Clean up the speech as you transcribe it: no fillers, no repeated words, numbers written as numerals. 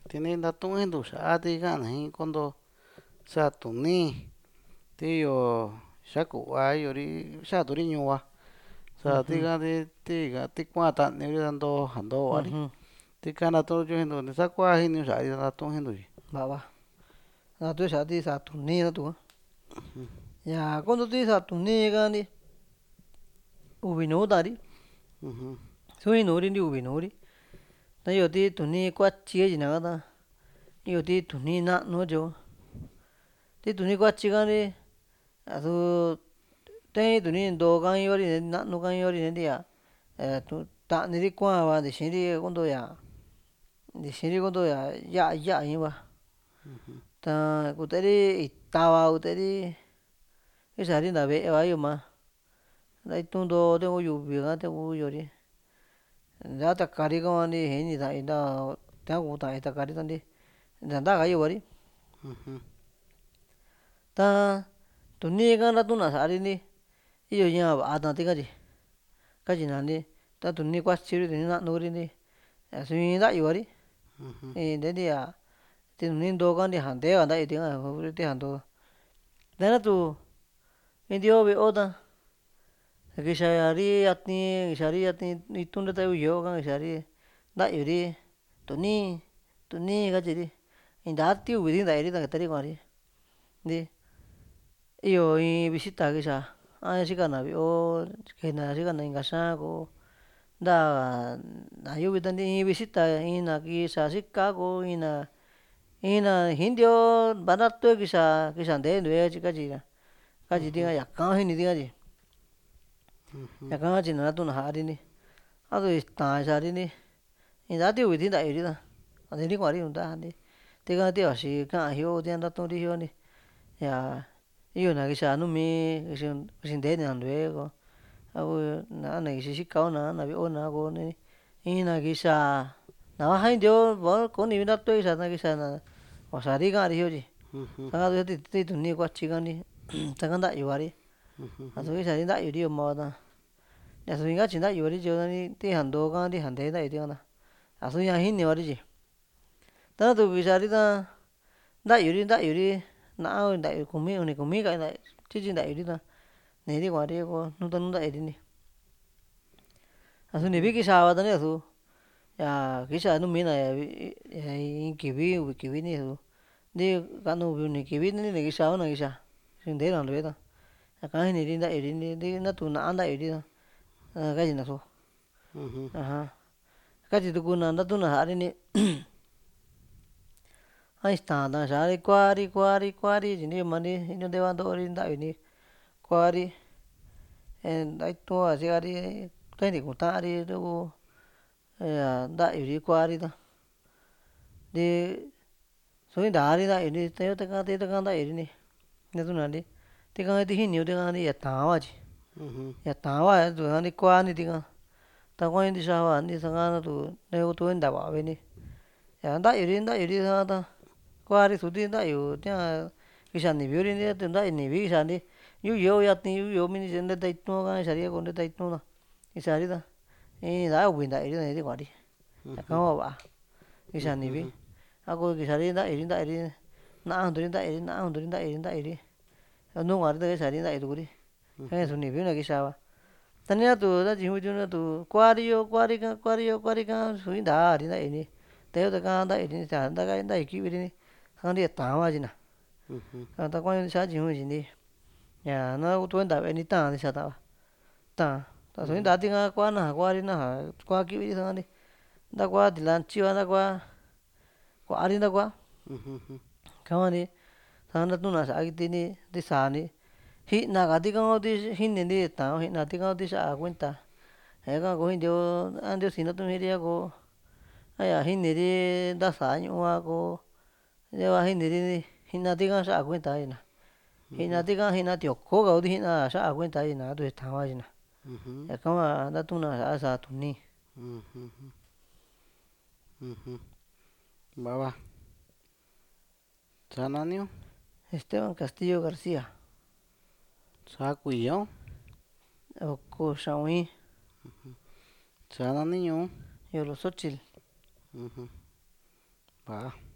Tini ndatu'in nduxa'a ti ka'an jin kondo satuni ti yo xaku'va yori xaturi ñu'uva Ujú, satika ti kua'an ta'aniri ndo vari ujú. tika natu'untiu jintu saku'a jini xa'a natu'un jintu. Vava. Natu xa'a ti satuni natu. Ya kondo ti satuni kani uvi nuu tari. Ujú, Suni nuuri nti uvi nuuri. Ta iyo ti tuni kuatyi katyina kata. Iyo ti tuni na'nu katyo. Ti tuni kuatyi kani a'su te'in tuni ntoo ka in yori na'nu ka in yori nti'a ta'niri kua'an va ntixiri konto ya'a ya'a ii'n va. Ta kuteri ita va kuteri kixari nta ve'e va iyo maa nta itu'n ntoo taku yuvi ka taku yo'ori nsaa takari kakuani iini ta'an nta ta'an kuu ta'an takari tanti nta ntaka yo'vari. ujú, Ta tuni ka natuna sa'ri nti iyo ña va'a ta tika tyi katyina nti ta tuni kuatyi Kuri tuni na'nu Kuri nti a'su in nta'yu kuari ujú, nte nti'a ti nuni ntoo ka nti'a ntee ka nta'yu tika Kuri ti'a ntoo ta natu in nti'yo ve'o ta kixari yati itu'n nta taku yɨ'ɨ ka kixari nta'yuri tuni tuni katyiri inta ti uvi nta'yuri ta ketari kua'ri nti iyo in visita kixa a xikana ve'o kejna xikana inka xa'an ntaa nayo vita in visita in na kixa xika ko in na iin nti'yo vanatu'e kixa ntee ntu'e katyi tika yaka jini tika tyi ujú, yaka katyina natuna sa'ri nti a'su ita ixari nti inta ti uvi ti nta'yuri ta nte'ri kua'ri kunta nti tika ti vaxi ka'an jio tia ntatu'uri jio nti ña iyo na kixa numi kixi nteena ntu'e ko a na kixi xikao na ve'o na ko in na kixa navaja in koni ntatue kixa na kixa na vaxari ka'ri jio tyi ujú, sa'ka ti tuni kuatyi ka nti taka nta'yu kua'ri ujú, a'su kixari nta'yuri yo'oma ta a'su in katyi nta'yuri tyo tija ntoo ka ntija ntee nta'yu tika ta a'su ña jinivari tyi tanatu kixari ta nta'yuri na'a nta'yu uni kumi ka tyityi nta'yuri ta ni'ri kua'ri ko nutanu nta'yuri nti a'su ntivi kixava ta ni a'su ya kixa numina in kivi uvi kivi ni a'su nti kanu uvi uni kivi ni kixao na kixa xi nteena ntu'e ta ñaka jiniri nta'yuri nti natu na'a nta'yuri ta katyina so ujú, aja katyi tukuna ntatuna sa'ri nti a ixta ta xaari kuari kuari tyi nti yoo maa nti intyo nteva nto'ori nta'yuni kuari nta itu'n hua sikari ta ni kuta'ri taku nta'yuri kuari ta nti su intari nta'yuri tayo taka nta'yuri nti natuna nti tika kiti jiniyo tika ya ta'an hua tyi ujú, ya ta'an hua a'su kuani tika ta kua'i ntixaa hua sa'ka natu taku tu'e nta va'a ve'e nti ña nta'yuri sa'ka ta kuari su ti nta'yu tia kixa nivi Kuri nti atu nta'yu nivi kixa nti yu'u yɨ'ɨ mini tyi nteta itu'n ka kixari a ko nteta itu'n ta kixari ta in ntaa uvi nta'yuri ta nityi kua'ri ñaka hua va'a kixa nivi ujú, a ko kixari nta'yuri na'a junturi nta'yuri nuu kua'ri ta kixari nta'yu tukuri su nivi na kixaba ta ni atu natyi ntiu natu kuari kuari ka su intari nta'yu nti tayo taka nta'yuri nta'yu ki'viri nti sa'ka nti ya ta'an hua katyina ujú, ta kua'i xa'a tyiñu tyi nti ña na tu'e nta ve'e nti ta'an ndixa ta va ta'an ta su inta tika kua naja kuari naja kua ki'viri sa'ka nti ntakua tilantyi va ntakua kua'ri ntakua ujú, ika hua nti sa'ka ntatuna sa'a kiti ti sáa nti ji'na ka tika ku ti jininti ta'an ji'na tika ku ti xa'a kuenta ñaka koo in ntiusi natu'un jiri a ko a'ya jiniri ntasa ñu'u a ko ñava jiniri ji'na tika xa'a kuenta katyina ji'na tika ji'na tioko ka kuti ji'na xa'a kuenta katyina atu ta'an hua katyina ujú, ñaka hua ntatuna sa'a sáa tuni. ujú, ujú. Vava sa naniu Esteban Castillo García sa kuiyo oko xa'ui sa nani ñuu Yoloxochitl. ujú. Ja.